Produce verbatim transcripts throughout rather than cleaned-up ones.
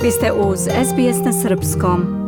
Vi ste uz S B S na srpskom.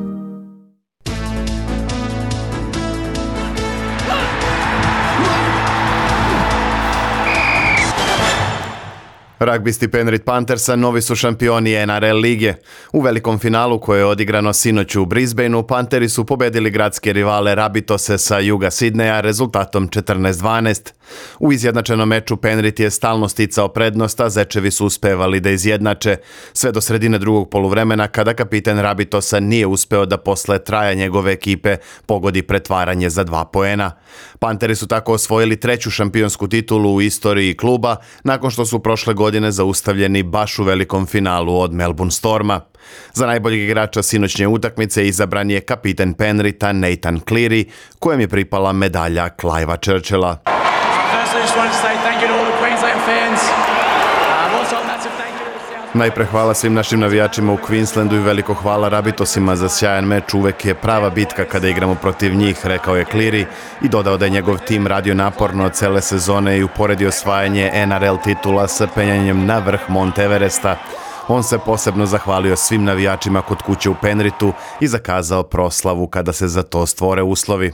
Ragbisti Penrith Panthersa novi su šampioni N R L lige. U velikom finalu koje je odigrano sinoć u Brisbaneu, Pantheri su pobedili gradske rivale Rabbitose sa juga Sidneja rezultatom četrnaest dvanaest. U izjednačenom meču Penrith je stalno sticao prednost, a Zečevi su uspevali da izjednače, sve do sredine drugog poluvremena kada kapiten Rabbitosa nije uspeo da posle traja njegove ekipe pogodi pretvaranje za dva poena. Pantheri su tako osvojili treću šampionsku titulu u istoriji kluba nakon što su prošle godine zaustavljeni baš u velikom finalu od Melbourne Storma. Za najboljeg igrača sinoćnje utakmice izabran je kapiten Penritha Nathan Cleary, kojem je pripala medalja Clivea Churchilla. Najpre hvala svim našim navijačima u Queenslandu i veliko hvala Rabbitosima za sjajan meč. Uvek je prava bitka kada igramo protiv njih, rekao je Cleary i dodao da je njegov tim radio naporno cele sezone i uporedio osvajanje N R L titula sa penjanjem na vrh Mount Everesta. On se posebno zahvalio svim navijačima kod kuće u Penrithu i zakazao proslavu kada se za to stvore uslovi.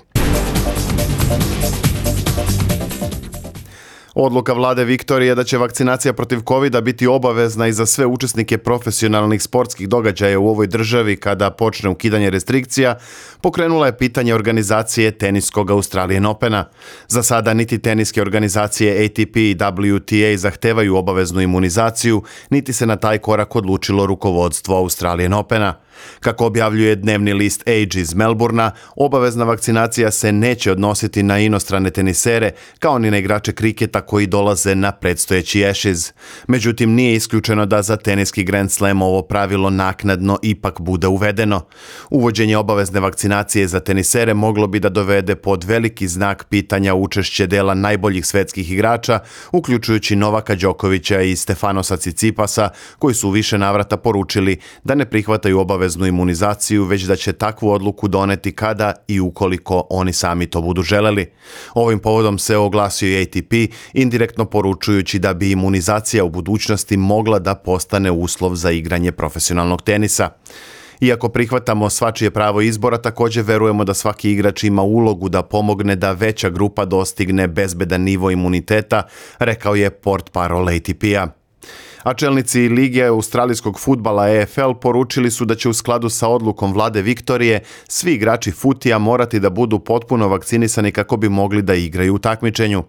Odluka vlade Viktorije da će vakcinacija protiv kovida biti obavezna i za sve učesnike profesionalnih sportskih događaja u ovoj državi kada počne ukidanje restrikcija, pokrenula je pitanje organizacije teniskog Australian Opena. Za sada niti teniske organizacije A T P i W T A zahtevaju obaveznu imunizaciju, niti se na taj korak odlučilo rukovodstvo Australian Opena. Kako objavljuje dnevni list Age iz Melbournea, obavezna vakcinacija se neće odnositi na inostrane tenisere, kao ni na igrače kriketa koji dolaze na predstojeći Ashes. Međutim, nije isključeno da za teniski Grand Slam ovo pravilo naknadno ipak bude uvedeno. Uvođenje obavezne vakcinacije za tenisere moglo bi da dovede pod veliki znak pitanja učešće dela najboljih svetskih igrača, uključujući Novaka Đokovića i Stefanosa Cicipasa, koji su u više navrata poručili da ne prihvataju obaveznu imunizaciju, već da će takvu odluku doneti kada i ukoliko oni sami to budu želeli. Ovim povodom se oglasio i A T P, indirektno poručujući da bi imunizacija u budućnosti mogla da postane uslov za igranje profesionalnog tenisa. Iako prihvatamo svačije pravo izbora, također verujemo da svaki igrač ima ulogu da pomogne da veća grupa dostigne bezbedan nivo imuniteta, rekao je portparol A T P-a. A čelnici Lige australijskog fudbala A F L poručili su da će u skladu sa odlukom vlade Viktorije svi igrači futija morati da budu potpuno vakcinisani kako bi mogli da igraju u takmičenju.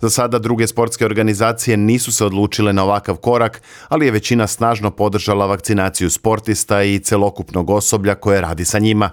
Za sada druge sportske organizacije nisu se odlučile na ovakav korak, ali je većina snažno podržala vakcinaciju sportista i celokupnog osoblja koje radi sa njima.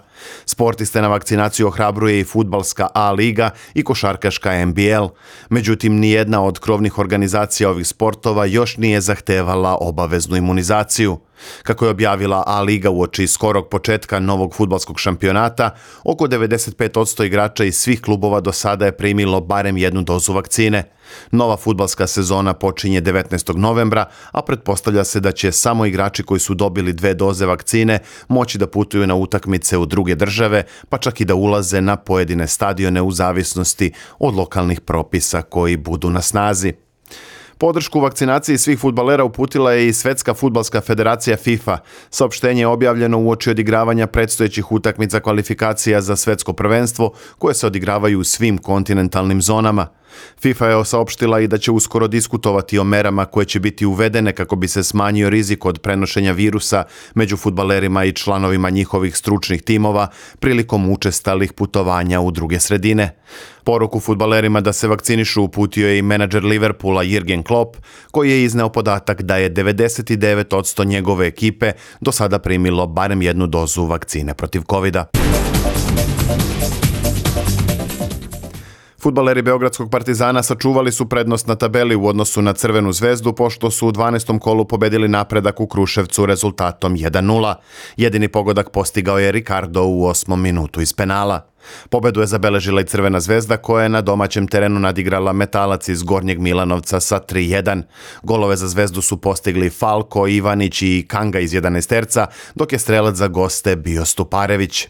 Sportiste na vakcinaciju ohrabruje i fudbalska A liga i košarkaška N B L. Međutim, nijedna od krovnih organizacija ovih sportova još nije zahtevala obaveznu imunizaciju. Kako je objavila A liga uoči skorog početka novog fudbalskog šampionata, oko devedeset pet posto igrača iz svih klubova do sada je primilo barem jednu dozu vakcine. Nova fudbalska sezona počinje devetnaestog novembra, a pretpostavlja se da će samo igrači koji su dobili dve doze vakcine moći da putuju na utakmice u druge države, pa čak i da ulaze na pojedine stadione u zavisnosti od lokalnih propisa koji budu na snazi. Podršku vakcinaciji svih fudbalera uputila je i Svetska fudbalska federacija FIFA. Saopštenje je objavljeno uoči odigravanja predstojećih utakmica kvalifikacija za svetsko prvenstvo koje se odigravaju u svim kontinentalnim zonama. FIFA je saopštila i da će uskoro diskutovati o merama koje će biti uvedene kako bi se smanjio rizik od prenošenja virusa među fudbalerima i članovima njihovih stručnih timova prilikom učestalih putovanja u druge sredine. Poruku fudbalerima da se vakcinišu uputio je i menadžer Liverpoola Jürgen Klopp, koji je izneo podatak da je devedeset devet posto njegove ekipe do sada primilo barem jednu dozu vakcine protiv kovida. Fudbaleri Beogradskog Partizana sačuvali su prednost na tabeli u odnosu na Crvenu zvezdu pošto su u dvanaestom kolu pobedili Napredak u Kruševcu rezultatom jedan nula. Jedini pogodak postigao je Ricardo u osmom minutu iz penala. Pobedu je zabeležila i Crvena zvezda koja je na domaćem terenu nadigrala Metalac iz Gornjeg Milanovca sa tri jedan. Golove za zvezdu su postigli Falko, Ivanić i Kanga iz jedanaesterca, dok je strelac za goste bio Stuparević.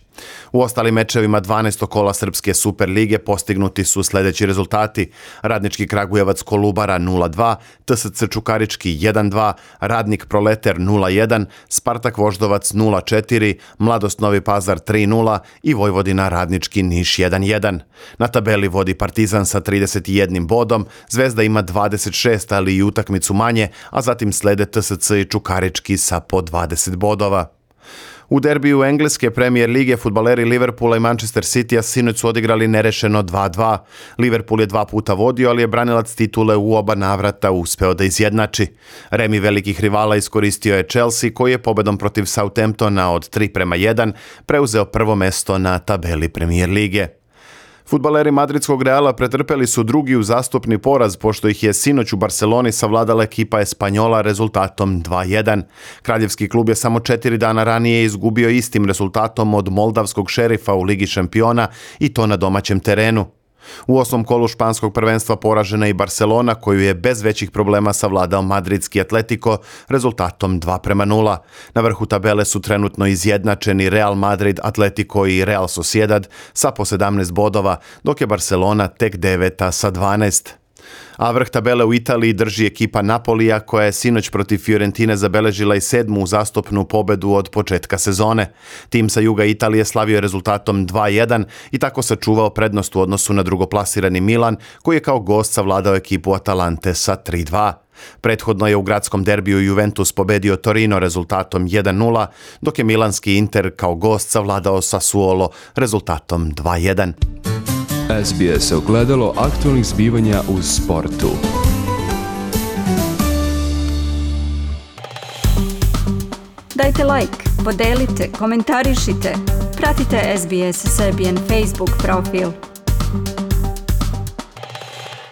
U ostalim mečevima dvanaestog kola Srpske Super lige postignuti su sljedeći rezultati: Radnički Kragujevac Kolubara nula dva, T S C Čukarički jedan dva, Radnik Proleter nula jedan, Spartak Voždovac nula četiri, Mladost Novi Pazar tri nula i Vojvodina Radnički Niš jedan jedan. Na tabeli vodi Partizan sa trideset jednim bodom, Zvezda ima dvadeset šest, ali i utakmicu manje, a zatim slede T S C i Čukarički sa po dvadeset bodova. U derbiju engleske premijer lige fudbaleri Liverpoola i Manchester Citya sinoć su odigrali nerešeno dva dva. Liverpool je dva puta vodio, ali je branilac titule u oba navrata uspeo da izjednači. Remi velikih rivala iskoristio je Chelsea, koji je pobedom protiv Southamptona od tri prema jedan preuzeo prvo mesto na tabeli premijer lige. Fudbaleri madridskog Reala pretrpeli su drugi uzastopni poraz, pošto ih je sinoć u Barceloni savladala ekipa Espanjola rezultatom dva jedan. Kraljevski klub je samo četiri dana ranije izgubio istim rezultatom od moldavskog Šerifa u Ligi šampiona, i to na domaćem terenu. U osmom kolu španskog prvenstva poražena i Barcelona, koju je bez većih problema savladao madridski Atletico rezultatom dva prema nula. Na vrhu tabele su trenutno izjednačeni Real Madrid, Atletico i Real Sociedad sa po sedamnaest bodova, dok je Barcelona tek deveta sa dvanaest. A vrh tabele u Italiji drži ekipa Napolija, koja je sinoć protiv Fiorentine zabeležila i sedmu uzastopnu pobedu od početka sezone. Tim sa juga Italije slavio je rezultatom dva jedan i tako sačuvao prednost u odnosu na drugoplasirani Milan, koji je kao gost savladao ekipu Atalante sa tri dva. Prethodno je u gradskom derbiju Juventus pobedio Torino rezultatom jedan nula, dok je milanski Inter kao gost savladao Sassuolo rezultatom dva jedan. S B S ogledalo aktualnih zbivanja u sportu. Dajte like, podelite, komentarišite. Pratite S B S Serbian Facebook profil.